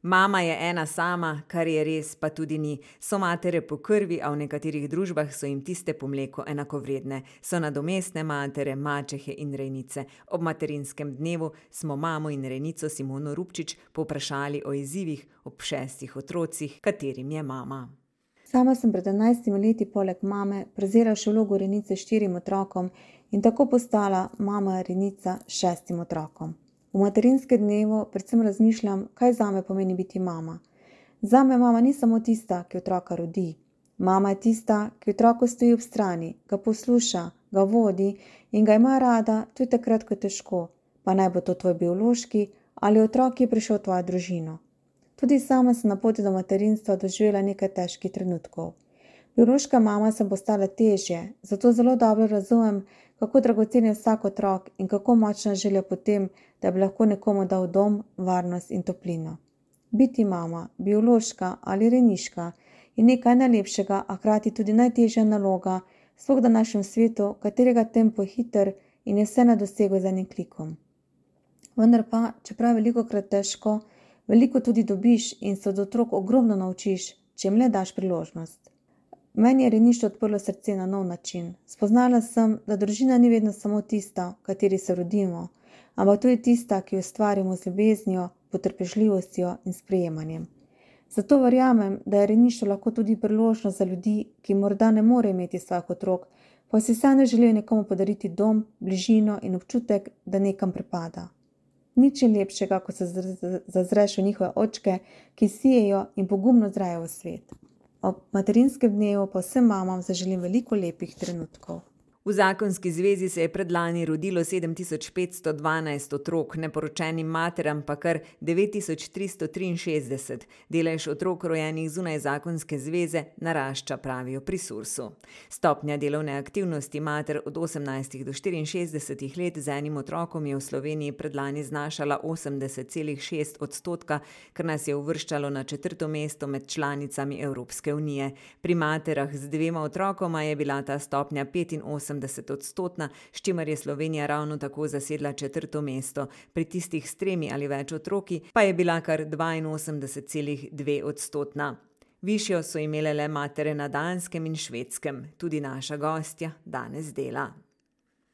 Mama je ena sama, kar je res, pa tudi ni. So matere po krvi, a v nekaterih družbah so jim tiste po mleku enakovredne. So nadomestne matere, mačehe in rejnice. Ob materinskem dnevu smo mamo in rejnico Simono Rupčič povprašali o izzivih ob 6 otrocih, katerim je mama. Sama sem pred 11 leti poleg mame prevzela še vlogo rejnice 4 otrokom in tako postala mama rejnica 6 otrokom. V materinskem dnevu predvsem razmišljam, kaj zame pomeni biti mama. Zame mama ni samo tista, ki otroka rodi. Mama je tista, ki otroku stoji ob strani, ga posluša, ga vodi in ga ima rada tudi takrat, ko je težko, pa naj bo to tvoj biološki ali otrok, ki je prišel v tvojo družino. Tudi sama sem na poti do materinstva doživela nekaj težkih trenutkov. Biološka mama sem postala težje, zato zelo dobro razumem, kako dragocen je vsak otrok in kako močna želja po tem, da bi lahko nekomu dal dom, varnost in toplino. Biti mama, biološka ali rejniška, je nekaj najlepšega, a hkrati tudi najtežja naloga, sploh v današnjem svetu, katerega tempo je hiter in je vse na dosegu z enim klikom. Vendar pa, čeprav je velikokrat težko, veliko tudi dobiš in se od otrok ogromno naučiš, če jim le daš priložnost. Meni je rejništvo odprlo srce na nov način. Spoznala sem, da družina ni vedno samo tista, v kateri se rodimo, ampak tudi tista, ki jo ustvarimo z ljubeznijo, potrpežljivostjo in sprejemanjem. Zato verjamem, da je rejništvo lahko tudi priložnost za ljudi, ki morda ne morejo imeti svojih otrok, pa si vseeno želijo nekomu podariti dom, bližino in občutek, da nekam pripada. Nič je lepšega, ko se zazreš v njihove očke, ki sijejo in pogumno zrajo v svet. Ob materinskem dnevu pa vsem mamam zaželim veliko lepih trenutkov. V zakonski zvezi se je predlani rodilo 7512 otrok, neporočenim materam pa kar 9363. Delež otrok rojenih zunaj zakonske zveze narašča, pravijo pri Sursu. Stopnja delovne aktivnosti mater od 18 do 64 let z enim otrokom je v Sloveniji predlani znašala 80,6%, kar nas je uvrščalo na 4. mesto med članicami Evropske unije. Pri materah z 2 otrokoma je bila ta stopnja 85%, s čimer je Slovenija ravno tako zasedla 4. mesto. Pri tistih s 3 ali več otroki pa je bila kar 82,2%. Višjo so imele le matere na Danskem in Švedskem. Tudi naša gostja danes dela.